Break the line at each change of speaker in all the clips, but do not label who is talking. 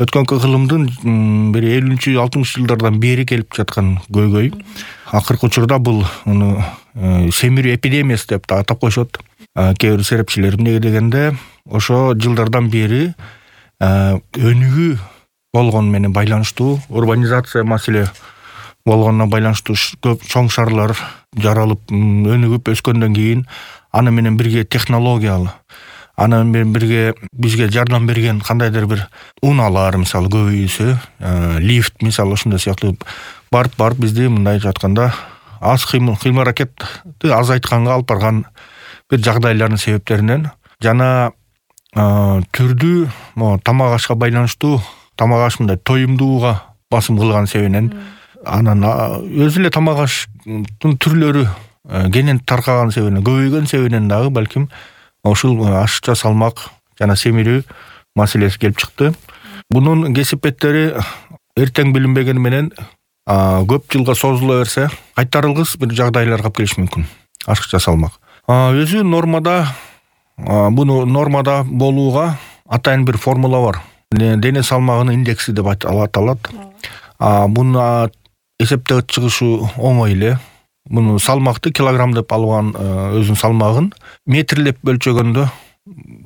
өткөнкү кылымдын бир 50-60 жылдардан бери келип жаткан көйгөй. Акыркы учурда бул семирүү эпидемиясы деп да атап коюшат кээ бир серепчилер. Эмнеге дегенде ошо жылдардан бери өнүгүү болгон менен байланыштуу, урбанизация маселе болгонуна байланыштуу көп чоң шаарлар жаралып өнүгүп өскөндөн кийин аны менен бирге технологиялы, аны менен бирге бизге жардам берген кандайдыр бир унаалар мисалы көбөйсө, лифт мисалы ушундай сыяктуу барып бизди мындай жатканда аз кыймыл аракетти азайтканга алып барган бир жагдайлардын себептеринен жана түрдүү тамак ашка байланыштуу, тамак аш мындай тоюмдууга басым кылган себебинен анан өзү эле тамак аштын түрлөрү кенен таркаган себебинен, көбөйгөн себебинен дагы балким ушул ашыкча салмак жана семирүү маселеси келип чыкты. Бунун кесипеттери эртең билинбегени менен көп жылга созула берсе кайтарылгыс бир жагдайларга алып келиши мүмкүн. Ашыкча салмак өзү нормада, буну нормада болууга атайын бир формула бар. Дене салмагынын индекси деп аталат. Буну эсептеп чыгышы оңой эле. Буну салмакты килограмм деп алган өзүнүн салмагын метрлеп өлчөгөндө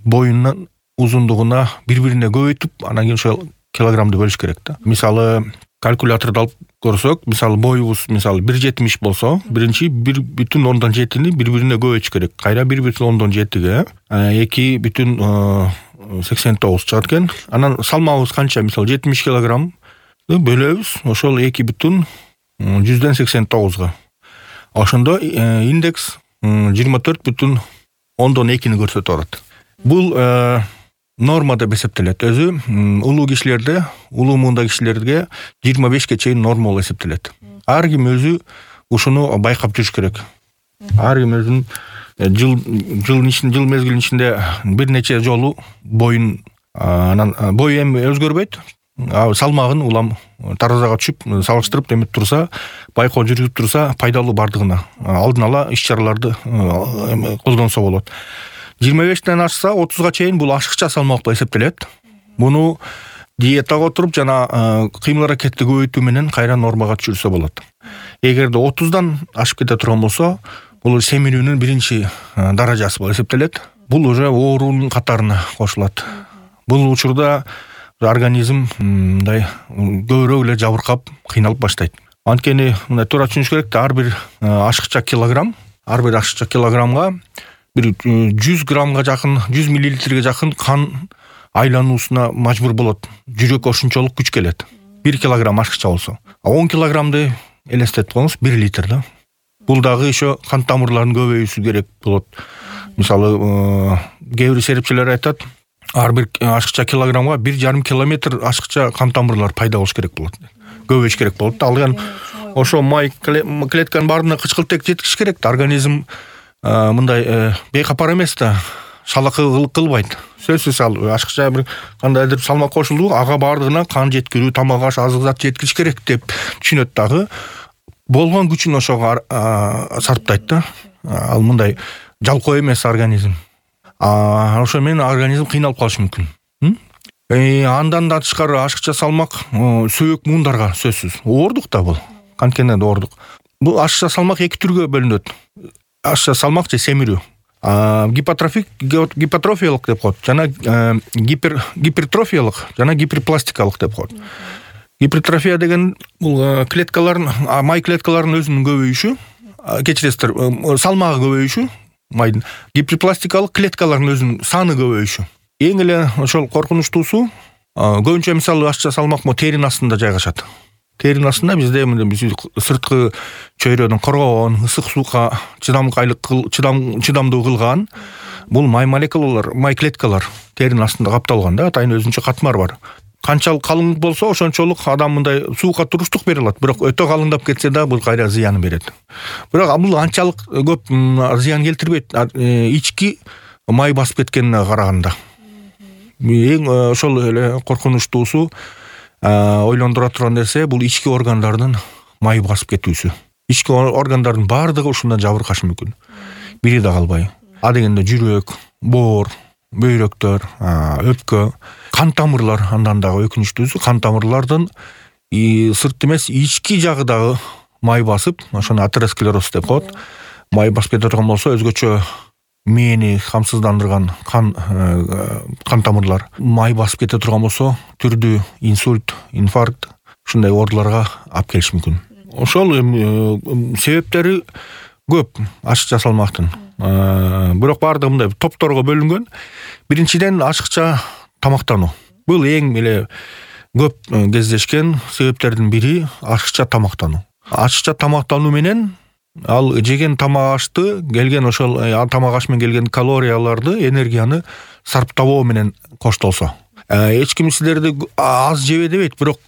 боюнун узундугуна бири-бирине көбөйтүп, анан кийин ошол килограммды бөлүш керек да. Мисалы калькуляторду алып көрсөк, мисалы боюбуз мисалы 1,70 болсо, биринчи 1,7-ни бири-бирине көбөйтүш керек. Кайра 1,7-ге 2,89 чыгат экен. Анан салмагыбыз канча? Мисалы 70 килограмм бөлөбүз, ошол 2,189га. Ошондо индекс 24,2-ни көрсөтүп турат. Бул норма деп эсептелет. Өзү улуу кишилерде, улуу муунда кишилерге 25ке чейин норма болуп эсептелет. Ар ким өзү ушуну байкап жүрүш керек. Ар ким өзүнүн жыл мезгилинин ичинде бир нече жолу боюн, анан бою эми өзгөрбөйт. Салмагын улам таразага түшүп, салыштырып демеп турса, байкоо жүргүзүп турса, пайдалуу бардыгына алдын ала иш-чараларды колдонсо болот. 25ден ашса 30га чейин бул ашыкча салмак болуп эсептелет. Муну диетага отуруп жана кыймыл аракетти көбөйтүү менен кайра нормага түшүрсө болот. Эгерде 30дан ашып кете турган болсо, бул семирүүнүн биринчи даражасы болуп эсептелет. Бул уже оорунун катарына кошулат. Бул учурда организм мындай көбүрөөк эле жабыркап, кыйналып баштайт. Анткени мындай туура түшүнүш керек да, ар бир ашыкча килограммга бир 100 граммга жакын, 100 миллилитрге жакын кан айлануусуна мажбур болот. Жүрөк ошончолук күч келет. 1 килограмм ашыкча болсо. 10 килограммды элестетип коюңуз, 1 литр да. Бул дагы еще кан тамырларынын көбөйүүсү керек болот. Мисалы, кээ бир серепчилер айтат, ар бир ашыкча килограммга 1,5 километр ашыкча кан тамырлар пайда болуш керек болот. Көбөйүш керек болот. Ал эми ошо май клетканын баарына кычкылтек жеткиш керек да. Организм мындай бейкапар эмес да, шалакы кылбайт. Сөзсүз ашыкча бир кандайдыр салмак кошулду, ага бардыгына кан жеткирүү, тамак аш, азык зат жеткириш керек деп түшүнөт дагы. Болгон күчүн ошого сарптайт да. Ал мындай жалкоо эмес организм. Ошо менен организм кыйналып калышы мүмкүн. Андан да тышкары ашыкча салмак сөөк муундарга сөзсүз оордук да бул. Канткени оордук. Бул ашыкча салмак эки түргө бөлүнөт. Ашыкча салмак же семирүү. Гипотрофиялык деп коет, жана гипертрофиялык, жана гиперпластикалык деп коет. Гипертрофия деген бул май клеткаларынын өзүнүн көбөйүшү, кечиресиздер, салмагы көбөйүшү, майдын. Гиперпластикалык клеткалардын өзүнүн саны көбөйүшү. Эң эле ошол коркунучтуусу, көбүнчө мисалы ашыкча салмак теринин астында жайгашат. Теринин астында бизде сырткы чөйрөдөн коргогон, ысык сууга чыдамдуу кылган бул май молекулалар, май клеткалар теринин астында капталган да, атайын өзүнчө катмар бар. Канчалык калың болсо, ошончолук адам мындай сууга туруштук бере алат. Бирок өтө калыңдап кетсе да, бул кайра зыян берет. Бирок бул анчалык көп зыян келтирбейт, ички май басып кеткенине караганда. Эң ошол эле коркунучтуусу, ойлондура турган нерсе бул ички органдардын май басып кетүүсү. Ички органдардын баардыгы ушундан жабыркашы мүмкүн. Бири да калбай. Дегенде жүрөк, боор, бөйрөктөр, өпкө, кан тамырлар андан дагы өкүнүчтүүсү кан тамырлардын сырт эмес ички жагы дагы май басып, ошону атеросклероз деп коет. Май басып кете турган болсо өзгөчө мээни камсыздандырган кан тамырлар май басып кете турган болсо түрдүү инсульт, инфаркт ушундай ооруларга алып келиши мүмкүн. Ошол себептери көп ашыкча салмактын. Бирок баардыгы мындай топторго бөлүнгөн. Биринчиден ашыкча тамактануу. Бул эң эле көп кездешкен себептердин бири ашыкча тамактануу. Ашыкча тамактануу менен ал жеген тамак ашты келген ошол тамак аш менен келген калорияларды, энергияны сарптабоо менен коштолсо. Эч ким силерди аз жебе дебейт, бирок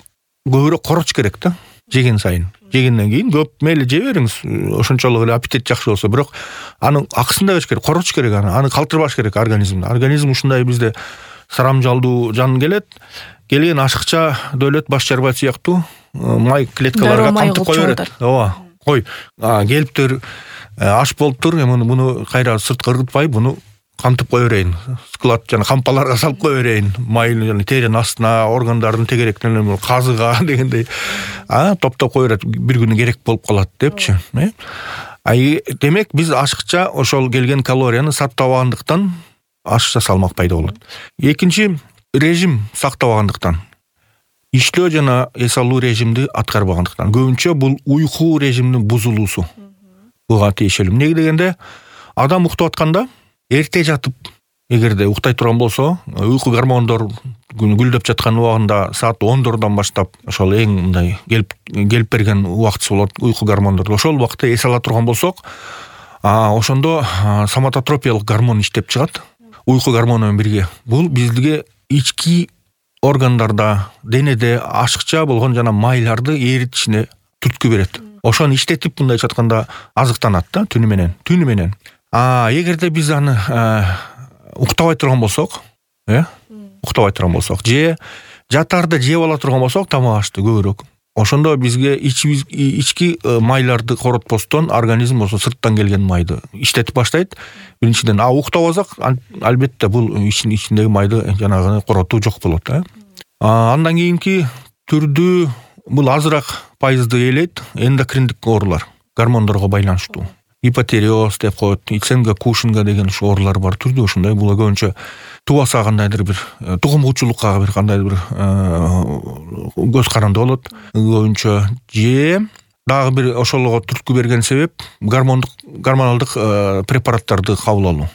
көбүрөөк короч керек да. Жеген сайын. Жегенден кийин көп мейли жей бериңиз. Ошончолук эле аппетит жакшы болсо, бирок анын акысын да керек, короч керек, аны калтырбаш керек организмди. Организм ушундай бизде сарамжалдуу жан келет. Келген ашыкча дөөлөт баш жарбайт сыяктуу май клеткаларга камтып кое берет. Ооба. Кой, келиптир, аш болуптур, муну кайра сырткы ыргытпай, буну камтып кое берейин. Склад жана кампаларга салып кое берейин. Майны жана теринин астына, органдардын тегеректерине, казыга дегендей, топтоп кое берет, бир күнү керек болуп калат депчи. Демек биз ашыкча ошол келген калорияны сактабагандыктан ашыкча салмак пайда болот. Экинчи, режим сактабагандыктан. Иштөө жана эс алуу режимди аткарбагандыктан. Көбүнчө бул уйку режиминин бузулуусу. Буга тиешелүү. Эмне дегенде, адам уктап атканда эрте жатып, эгерде уктай турган болсо, уйку гормондор гүлдөп жаткан убагында саат 10дордон баштап ошол эң мындай келип берген убактысы болот уйку гормондор. Ошол убакта эс ала турган болсок, ошондо соматотропиялык гормон иштеп чыгат. Уйку гормону менен бирге. Бул бизге ички органдарда, денеде ашыкча болгон жана майларды эритишине түрткү берет. Ошону иштетип мындай жатканда азыктанат да түнү менен. Эгерде биз аны уктабай турган болсок, же жатарда жеп ала турган болсок тамак ашты көбүрөөк. Ошондо бизге ички майларды коротпостон организм болсо сырттан келген майды иштетип баштайт. Биринчиден, уктабасак албетте бул ичиндеги майды жанагы коротуу жок болот. Андан кийинки түрдүү бул азыраак пайызды ээлейт эндокриндик оорулар, гормондорго байланыштуу. Гипотериоз деп коет, иценга, кушинга деген ушу оорулар бар, түрдүү ушундай. Бул көбүнчө тубаса кандайдыр бир тугумгучулукка бир кандайдыр бир көз каранды болот. Көбүнчө же дагы бир ошолго түрткү берген себеп гормоналдык препараттарды кабыл алуу.